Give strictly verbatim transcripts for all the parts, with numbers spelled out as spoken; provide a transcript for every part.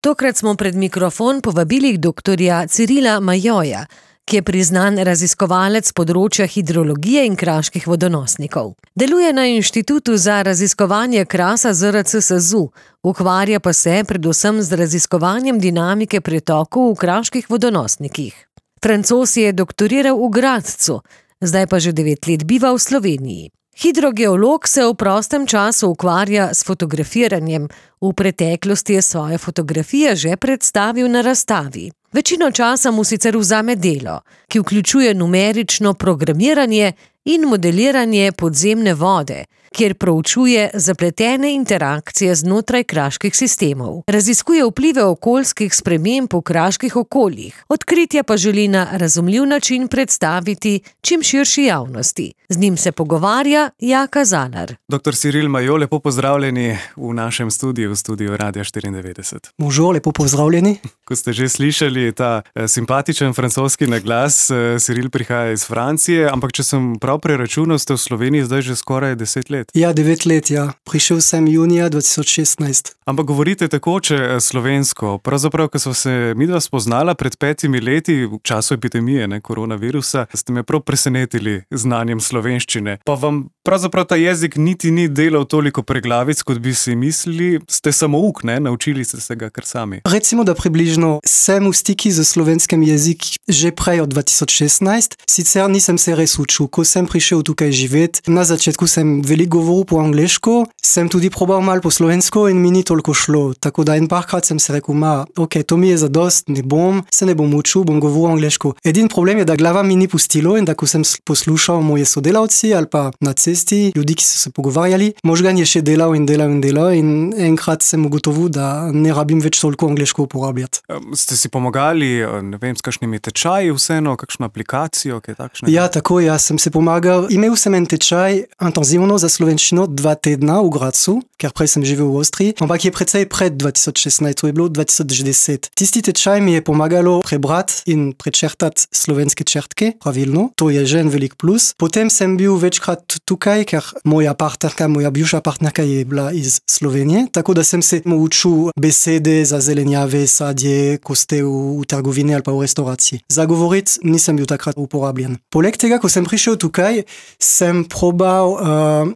Tokrat smo pred mikrofon povabili doktorja Cirila Majoja, ki je priznan raziskovalec področja hidrologije in kraških vodonosnikov. Deluje na Inštitutu za raziskovanje krasa Z R C S Z U, ukvarja pa se predvsem z raziskovanjem dinamike pretokov v kraških vodonosnikih. Francoz je doktoriral v Gradcu, zdaj pa že devet let biva v Sloveniji. Hidrogeolog se v prostem času ukvarja s fotografiranjem. V preteklosti je svoje fotografije že predstavil na razstavi. Večino časa mu sicer vzame delo, ki vključuje numerično programiranje in modeliranje podzemne vode, kjer proučuje zapletene interakcije znotraj kraških sistemov. Raziskuje vplive okoljskih sprememb v kraških okoljih, odkritja pa želi na razumljiv način predstaviti čim širši javnosti. Z njim se pogovarja Jaka Zalar. Doktor Ciril Majo, lepo pozdravljeni v našem studiu, v studiu Radia štiriindevetdeset. Bonjour, lepo pozdravljeni. Ko ste že slišali ta eh, simpatičen francoski naglas, eh, Ciril prihaja iz Francije, ampak če sem prav preračunal, ste v Sloveniji zdaj že skoraj deset let. Ja, devet let, ja. Prišel sem junija dva tisoč šestnajst. Ampak govorite takoče slovensko. Pravzaprav, ko sva se midva spoznala pred petimi leti, v času epidemije, ne, koronavirusa, ste me prav presenetili znanjem slovenščine. Pa vam pravzaprav ta jezik niti ni delal toliko preglavic, kot bi si mislili. Ste samouk, ne? Naučili ste se ga kar sami. Recimo, da približno sem v stiki z slovenskim jezik že prej od dva tisoč šestnajst. Sicer nisem se res učil. Ko sem prišel tukaj živet, na začetku sem veliko govoril po angleško, sem tudi probal malo po slovensko in mi ni toliko šlo. Tako da en parkrat sem se rekel, ma, ok, to mi je zadost, ne bom, se ne bom učil, bom govoril angleško. Edin problem je, da glava mi ni pustilo in da ko sem poslušal moje sodelavci ali pa na cesti, ljudi, ki so se pogovarjali, možgan je še delal in delal in delal in enkrat sem ugotovil, da ne rabim več toliko angleško uporabljati. Ste si pomagali, ne vem, s kakšnimi tečaji vseeno, kakšno aplikacijo, kaj takšnega? Ja, tako, ja, sem se pomagal. Imel sem en tečaj intenzivno za slovenščino dva tedna v Gradcu, ker prej sem živel v Avstriji, ampak je precej pred dva tisoč šestnajst, to je bilo dva tisoč deset. Tisti tečaj mi je pomagalo prebrati in prečertati slovenske črtke pravilno, to je že en velik plus. Potem sem bil večkrat tukaj, ker moja partnerka, moja bivša partnerka je bila iz Slovenije, tako da sem se učil besede za zelenjave, sadje, ko ste v, v trgovini ali pa v restauraciji. Za govoriti nisem bil takrat uporabljen. Poleg tega, ko sem prišel tukaj, sem probal uh,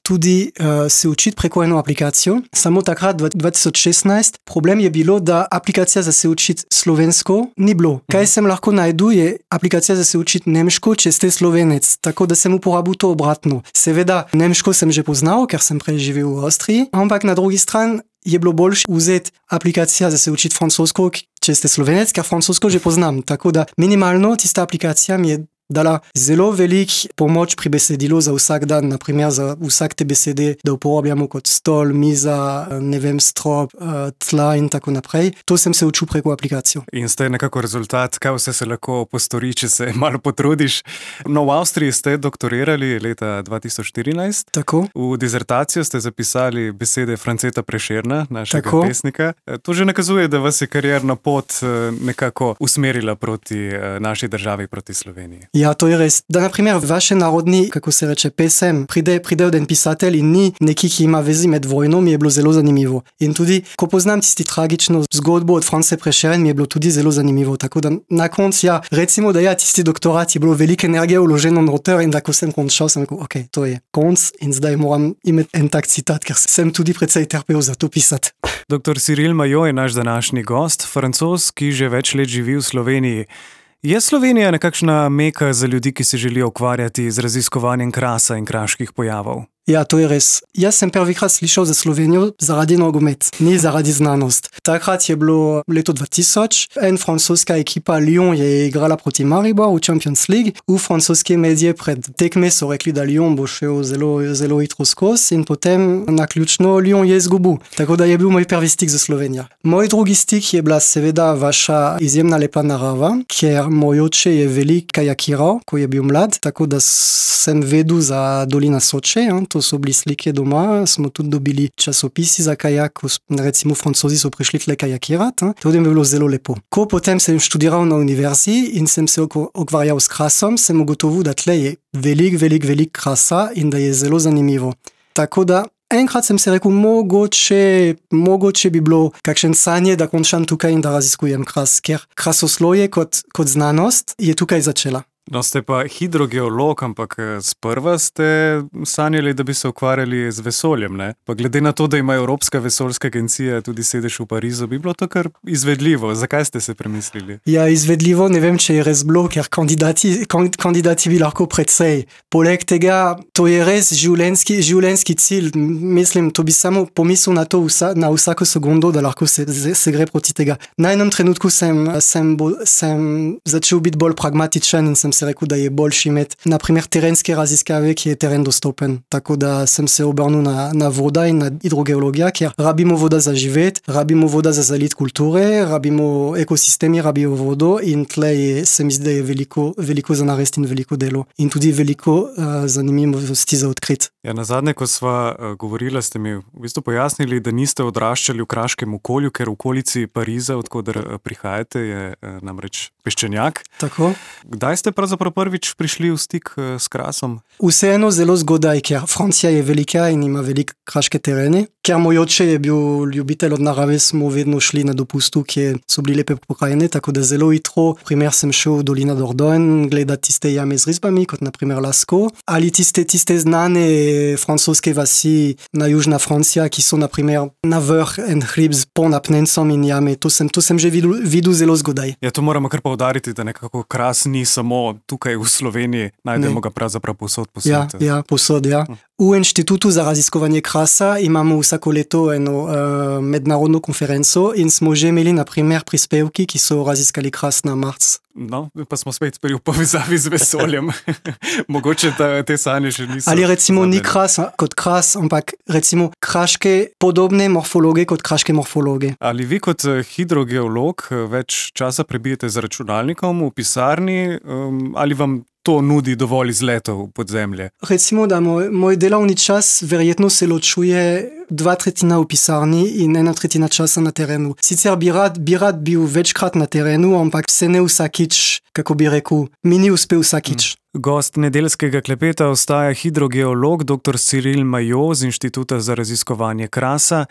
tudi uh, se učiti preko eno aplikacijo. Samo takrat, dva tisoč šestnajst, problem je bilo, da aplikacija za se učiti slovensko ni bilo. Kaj sem lahko najdu, je aplikacija za se učiti nemško, če ste Slovenec. Tako da sem uporabil to obratno. Seveda, nemško sem že poznal, ker sem prej živel v Avstriji, ampak na drugi strani je bilo boljše vzeti aplikacija za se učiti francosko, če ste Slovenec, ker francosko že poznam. Tako da minimalno tista aplikacija mi je dala zelo velik pomoč pri besedilu za vsak dan, naprimer za vsak te besede, da uporabljamo kot stol, miza, ne vem, strop, tla in tako naprej. To sem se učil preko aplikacijo. In ste nekako rezultat, kaj vse se lahko postori, če se malo potrudiš. No, v Avstriji ste doktorirali leta dva tisoč štirinajst. Tako. V dizertacijo ste zapisali besede Franceta Prešerna, našega tako. pesnika. To že nakazuje, da vas je karierna pot nekako usmerila proti naši državi, proti Sloveniji. Ja, to je res. Da, naprimer, vaše narodni, kako se reče, pesem, pride, pride od en pisatelj in ni neki, ki ima vezi med vojno, mi je bilo zelo zanimivo. In tudi, ko poznam tisti tragično zgodbo od France Prešeren, mi je bilo tudi zelo zanimivo. Tako da na koncu, ja, recimo, da ja, tisti doktorat je bilo velike energije vloženo noter in da ko sem končal, sem rekel, ok, to je konc in zdaj moram imeti en tak citat, ker sem tudi precej trpel za to pisati. Doktor Ciril Majo je naš današnji gost, Francoz, ki že več let živi v Sloveniji. Je Slovenija nekakšna meka za ljudi, ki se želijo ukvarjati z raziskovanjem krasa in kraških pojavov? Ja, to je res. Jaz sem prvikrat slišal za Slovenijo zaradi nogomet, ni zaradi znanost. Takrat je bilo leto dva tisoč, en francoska ekipa Lyon je igrala proti Mariboru v Champions League. V francoske medije pred tekme so rekli, da Lyon bo šel zelo, zelo hitro skozi in potem naključno Lyon je izgubil. Tako da je bil moj prvi stik za Slovenijo. Moj drugi stik je bila seveda vaša izjemna lepa narava, ker moj oče je velik kajakiral, ko je bil mlad, tako da sem vedel za dolina Soče, to so bili slike doma, smo tudi dobili časopisi za kajak, recimo Francozi so prišli tle kajakirati, to je bilo zelo lepo. Ko potem sem študiral na univerziji in sem se ukvarjal s krasom, sem ugotovil, da tle je velik, velik, velik krasa in da je zelo zanimivo. Tako da enkrat sem se rekel, mogoče, mogoče bi bilo kakšen sanje, da končam tukaj in da raziskujem kras, ker krasoslovje kot, kot znanost je tukaj začela. No, ste pa hidrogeolog, ampak sprva ste sanjali, da bi se ukvarjali z vesoljem, ne? Pa glede na to, da ima Evropska vesoljska agencija tudi sedež v Parizu, bi bilo to kar izvedljivo. Zakaj ste se premislili? Ja, izvedljivo, ne vem, če je res bilo, ker kandidati, kandidati bi lahko precej. Poleg tega, to je res življenjski, življenjski cilj. Mislim, to bi samo pomislil na to vsa, na vsako sekundo, da lahko se, se gre proti tega. Na enem trenutku sem, sem, bo, sem začel biti bolj pragmatičen in sem se rekel, da je boljši imeti, na primer, terenske raziskave, ki je teren dostopen. Tako da sem se obrnil na, na voda in na hidrogeologija, ker rabimo voda za živeti, rabimo voda za zalit kulture, rabimo ekosistemi, rabijo vodo in tle je, se mi zdi, da je veliko, veliko za narediti in veliko delo. In tudi veliko uh, zanimivosti za odkriti. Ja, nazadnje, ko sva uh, govorila, ste mi v bistvu pojasnili, da niste odraščali v kraškem okolju, ker v okolici Pariza, odkoder uh, prihajate, je uh, namreč peščenjak. Tako. Kdaj ste pravzaprav prvič prišli v stik uh, s krasom? Vseeno zelo zgodaj, ker Francija je velika in ima velik kraške terene. Ker moj oče je bil ljubitelj od narave, smo vedno šli na dopustu, kjer so bili lepe pokrajine, tako da zelo hitro. Primer sem šel v dolina Dordogne, gledati tiste jame z risbami, kot na primer Lascaux, ali tiste, tiste znane francoske vasi na južna Francija, ki so na primer na vrh en hrib z ponapnencom in jame. To sem, to sem že videl, videl zelo zgodaj. Ja, to moramo kar poudariti, da nekako kras ni samo tukaj v Sloveniji, najdemo ne. Ga pravzaprav posod po svetu. Ja, ja, posod, ja. V Inštitutu za raziskovanje krasa imamo vsako leto eno uh, mednarodno konferenco in smo že imeli na primer prispevki, ki so raziskali kras na Mars. No, pa smo spet pri povezavi z vesoljem. Mogoče ta, te sanje še niso. Ali recimo ni kras kot kras, ampak recimo kraške podobne morfologe kot kraške morfologe. Ali vi kot hidrogeolog več časa prebijete z računalnikom v pisarni um, ali vam to nudi dovolj izletov pod zemlje? Recimo, da moj, moj delovni čas verjetno se ločuje dva tretjina v pisarni in ena tretjina časa na terenu. Sicer bi rad, bi rad bil večkrat na terenu, ampak se ne vsakič, kako bi rekel, mi ni uspel vsakič. Hmm. Gost nedeljskega klepeta ostaja hidrogeolog doktor Cyril Maillot z Inštituta za raziskovanje krasa.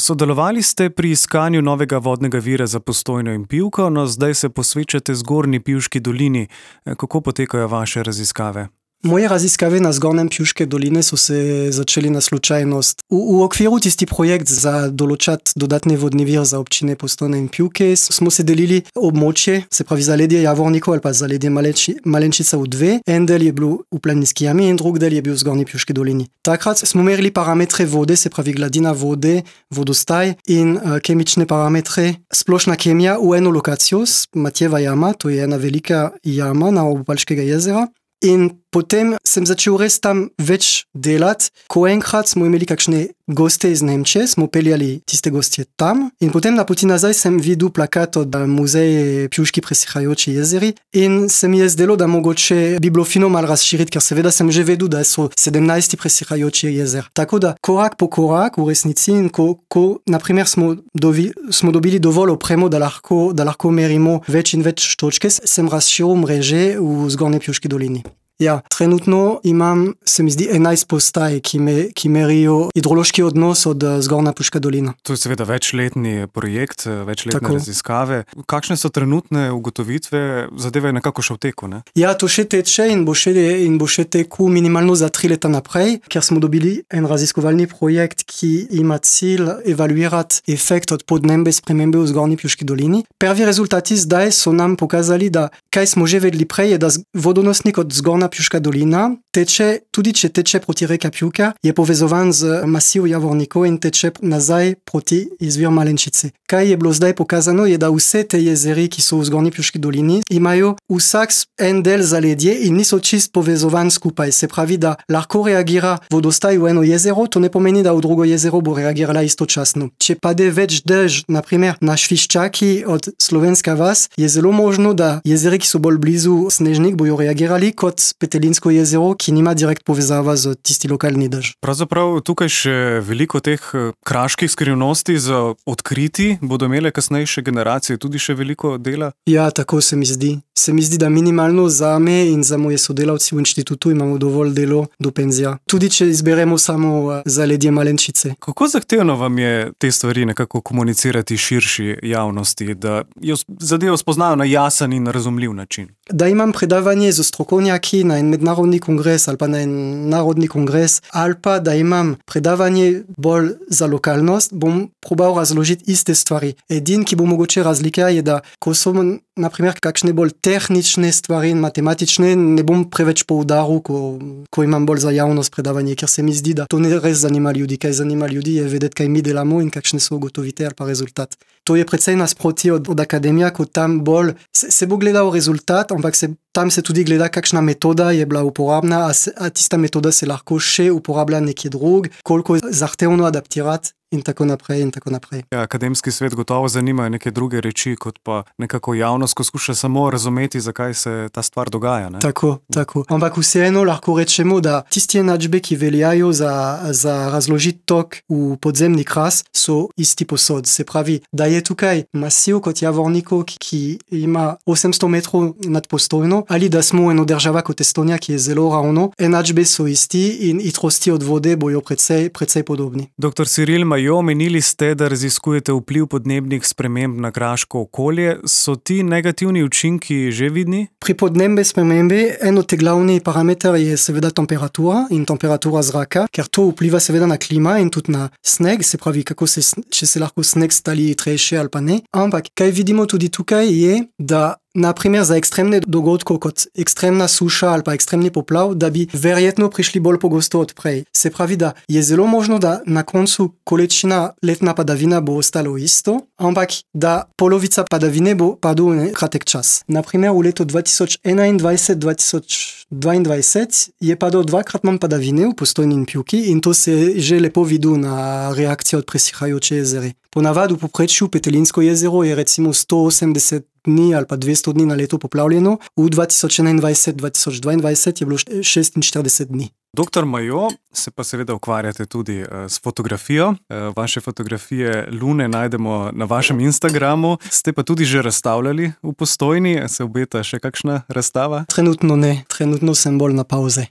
Sodelovali ste pri iskanju novega vodnega vira za Postojno in Pivko, no zdaj se posvečate Zgornji Pivški dolini. Kako potekajo vaše raziskave? Moje raziskave na Zgornjem Pivške doline so se začeli na slučajnost. V, v okviru tisti projekt za določati dodatni vodni vir za občine Postojna in Pivke smo se delili območje, se pravi zaledje Javornikov ali pa zaledje Malenči, Malenčica v dve. En del je bil v Planinski jami in drug del je bil v Zgornji Pivški dolini. Takrat smo merili parametre vode, se pravi gladina vode, vodostaj in uh, kemične parametre. Splošna kemija v eno lokacijo, Matjeva jama, to je ena velika jama na obu Palškega jezera. In potem sem začel res tam več delati, ko enkrat smo imeli kakšne goste iz Nemčije, smo peljali tiste gostje tam in potem na poti nazaj sem videl plakat od muzeja Pivški presihajoči jezeri in se mi je zdelo, da mogoče bi bilo fino malo razširiti, ker seveda sem že vedel, da so sedemnajst presihajoči jezer. Tako da korak po korak v resnici in ko, ko naprimer smo, dovi, smo dobili dovolj opremo, da lahko, da lahko merimo več in več točke, sem razširil mreže v Zgornji Pivški dolini. Ja, trenutno imam, se mi zdi, enajst postaj, ki, me, ki merijo hidrološki odnos od Zgornja Pivška dolina. To je seveda večletni projekt, večletne Tako. raziskave. Kakšne so trenutne ugotovitve? Zadeva je nekako še v teku, ne? Ja, to še teče in bo še, in bo še teku minimalno za tri leta naprej, ker smo dobili en raziskovalni projekt, ki ima cilj evaluirati efekt od podnebne spremembe v Zgornji Pivški dolini. Prvi rezultati zdaj so nam pokazali, da kaj smo že vedeli prej, je, da vodonosnik od Zgornja Pivška dolina teče, tudi če teče proti reka Pivka, je povezovan z masiv Javornikov in teče nazaj proti izvir Malenčice. Kaj je bilo zdaj pokazano, je, da vse te jezeri, ki so v Zgornji Pivški dolini, imajo vsak en del zaledje in niso čist povezovan skupaj. Se pravi, da lahko reagira vodostaj v eno jezero, to ne pomeni, da v drugo jezero bo reagirala istočasno. Če pade več dež, na primer na Šviščaki od Slovenska vas, je zelo možno, da jezeri, ki so bolj blizu Snežnik, bojo reagirali kot Petelinsko jezero, ki nima direkt povezava z tisti lokalni dež. Pravzaprav tukaj še veliko teh kraških skrivnosti za odkriti, bodo imele kasnejše generacije tudi še veliko dela? Ja, tako se mi zdi. Se mi zdi, da minimalno za me in za moje sodelavci v inštitutu imamo dovolj delo do penzija. Tudi če izberemo samo zaledje Malenčice. Kako zahtevno vam je te stvari nekako komunicirati širši javnosti, da jo zadevo spoznajo na jasen in razumljiv način? Da imam predavanje z strokovnjaki na en mednarodni kongres ali pa na en narodni kongres, ali pa da imam predavanje bolj za lokalnost, bom probal razložiti iste stvari. Edin, ki bo mogoče razlika, je, da ko so na primer kakšne bolj tehnične stvari in matematične, ne bom preveč poudaril, ko, ko imam bolj za javnost predavanje, ker se mi zdi, da to ne res zanima ljudi. Kaj zanima ljudi je vedeti, kaj mi delamo in kakšne so ugotovitve ali pa rezultat. To je precej nasproti od, od akademija, ko tam bolj se, se bo gledal rezultat, ampak se, tam se tudi gleda, kakšna metoda je bila uporabna, a, se, a tista metoda se lahko še uporablja nekje drug, koliko zahtevno adaptirati. In tako naprej, in tako naprej. Ja, akademski svet gotovo zanimajo neke druge reči, kot pa nekako javnost, ko skuša samo razumeti, zakaj se ta stvar dogaja. Ne? Tako, tako. Ampak vseeno lahko rečemo, da tisti enačbe, ki veljajo za, za razložiti tok v podzemni kras, so isti posod. Se pravi, da je tukaj masiv kot Javornikov, ki ima osemsto metrov nad postojno, ali da smo eno država kot Estonija, ki je zelo ravno, enačbe so isti in hitrosti od vode bojo precej, precej podobni. Doktor Ciril Jo, omenili ste, da raziskujete vpliv podnebnih sprememb na kraško okolje. So ti negativni učinki že vidni? Pri podnebni spremembi en od teh glavnih parametrov je seveda temperatura in temperatura zraka, ker to vpliva seveda na klima in tudi na sneg, se pravi, kako se, če se lahko sneg stali hitrejše ali pa ne. Ampak kaj vidimo tudi tukaj je, da na primer za ekstremne dogodke kot ekstremna suša ali pa ekstremni poplav, da bi verjetno prišli bolj pogosto od prej. Se pravi, da je zelo možno, da na koncu količina letna padavina bo ostalo isto, ampak da polovica padavine bo padla v kratek čas. Na primer v letu dva tisoč enaindvajset dva tisoč dvaindvajset je padlo dvakrat manj padavine v Postojni in Pivki in to se že lepo vidi na reakcijo od presihajoče jezere. Ponavadi v povprečju Petelinsko jezero je recimo sto osemdeset dni ali pa dvesto dni na leto poplavljeno, v dva tisoč enaindvajset dva tisoč dvaindvajset je bilo šestinštirideset dni. Doktor Majo, se pa seveda ukvarjate tudi uh, s fotografijo. Uh, vaše fotografije Lune najdemo na vašem Instagramu. Ste pa tudi že razstavljali v Postojni. Se obeta še kakšna razstava? Trenutno ne. Trenutno sem bolj na pauze.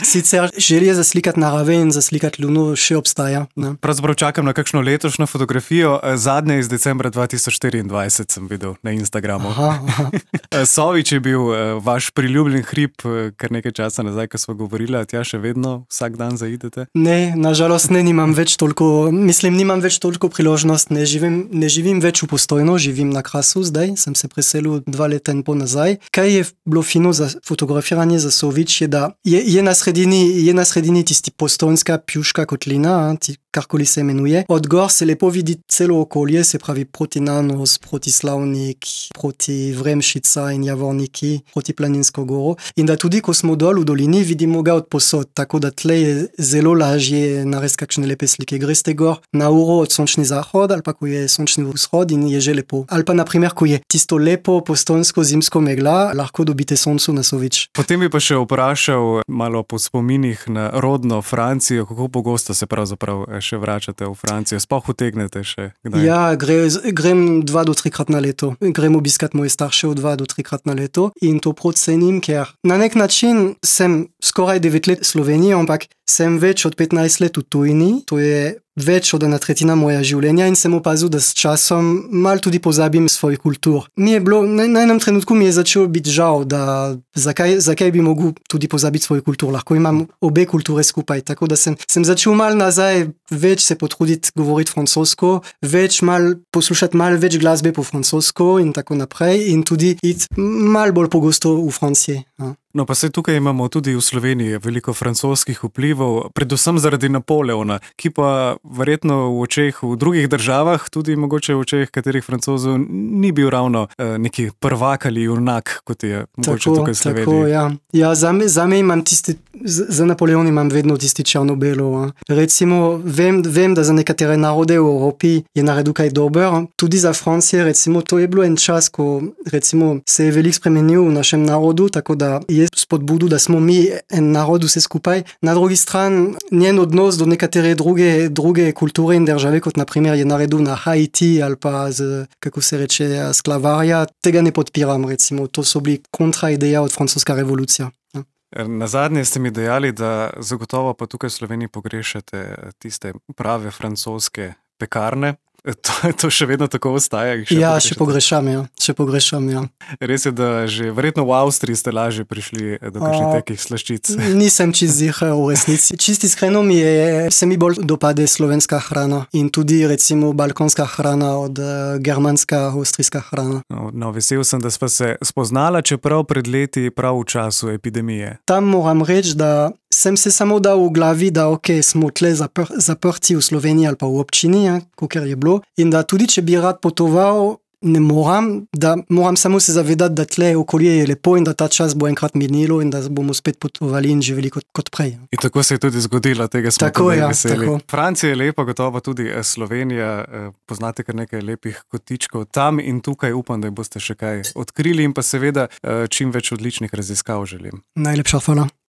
Sicer želje zaslikati narave in zaslikati Luno še obstaja. Ne? Pravzaprav čakam na kakšno letošnjo fotografijo. Zadnje iz decembra dva tisoč štiriindvajset sem videl na Instagramu. Aha, aha. Sovič je bil uh, vaš priljubljen hrib, uh, kar nekaj časa nazaj, ko smo govorili, tja še vedno vsak dan zaidete? Ne, nažalost ne, nimam več toliko, mislim, nimam več toliko priložnost, ne živim, ne živim več v Postojno, živim na Krasu zdaj, sem se preselil dva leta in pol nazaj. Kaj je bilo fino za fotografiranje za Sovič, je, da je, je, na sredini, je na sredini tisti postojnska Pjuška kotlina, ti, karkoli se imenuje. Od gor se lepo vidi celo okolje, se pravi proti Nanos, proti Slavnik, proti Vremšica in Javorniki, proti Planinsko goro. In da tudi, ko smo dol v dolini, vidimo ga od posod. Tako da tle je zelo lažje narediti kakšne lepe slike. Greste gor na uro od sončni zahod ali pa ko je sončni vzhod in je že lepo. Ali pa naprimer, ko je tisto lepo postojnsko zimsko megla, lahko dobite soncu na Sovič. Potem bi pa še vprašal malo po spominih na rodno Francijo, kako pogosto se pravzaprav še vračate v Francijo, sploh utegnete še kdaj? Ja, gre, grem dva do trikrat na leto. Grem obiskat moje starše v dva do trikrat na leto in to procenim, ker na nek način sem skoraj devet let Sloveniji, ampak sem več od petnajst let v tujini, to je več od ena tretjina moja življenja in sem opazil, da s časom mal tudi pozabim svoj kultur. Mi je bilo, na, na enem trenutku mi je začelo biti žal, da zakaj, zakaj bi mogel tudi pozabiti svoj kultur, lahko imam obe kulture skupaj, tako da sem, sem začel mal nazaj več se potruditi govoriti francosko, več mal poslušati mal več glasbe po francosko in tako naprej in tudi iti mal bolj pogosto v Franciji. Ja. No, pa se tukaj imamo tudi v Sloveniji veliko francoskih vplivov. vplival, predvsem zaradi Napoleona, ki pa verjetno v očeh v drugih državah, tudi mogoče v očeh katerih Francozov, ni bil ravno uh, neki prvak ali junak, kot je mogoče tako, tukaj v Sloveniji. Tako, ja. Ja, zame, zame imam tisti, za Napoleon imam vedno tisti črno-belo. Recimo, vem, vem, da za nekatere narode v Evropi je naredil kaj dober. Tudi za Francije, recimo, to je bilo en čas, ko recimo, se je veliko spremenil v našem narodu, tako da je spodbudu, da smo mi en narod vse skupaj. Na drugi strani, njen odnos do nekatere druge, druge kulture in države, kot naprimer je naredil na Haiti ali pa z, kako se reče, sklavarja, tega ne podpiram, recimo. To so bili kontraideja od francoska revolucija. Ja. Na zadnje ste mi dejali, da zagotovo pa tukaj v Sloveniji pogrešate tiste prave francoske pekarne. To, to še vedno tako ostaja? Še ja, pogrešate? še pogrešam, ja. Še pogrešam, ja. Res je, da že verjetno v Avstriji ste lažje prišli do kakšnih takih slaščic. Nisem čist ziher v resnici. Čisti iskreno mi je, se mi bolj dopade slovenska hrana in tudi recimo balkonska hrana od uh, germanska, avstrijska hrana. No, no, vesel sem, da sva se spoznala, čeprav pred leti prav v času epidemije. Tam moram reči, da sem se samo dal v glavi, da ok, smo tle zapr zaprti v Sloveniji ali pa v občini, ja, kakor je bilo. In da tudi, če bi rad potoval, ne moram, da moram samo se zavedati, da tle okolje je lepo in da ta čas bo enkrat minilo in da bomo spet potovali in živeli kot, kot prej. In tako se je tudi zgodilo, tega smo tako, tudi ja, veseli. tako. Francija je lepa, gotovo tudi Slovenija, poznate kar nekaj lepih kotičkov tam in tukaj upam, da boste še kaj odkrili in pa seveda čim več odličnih raziskav želim. Najlepša hvala.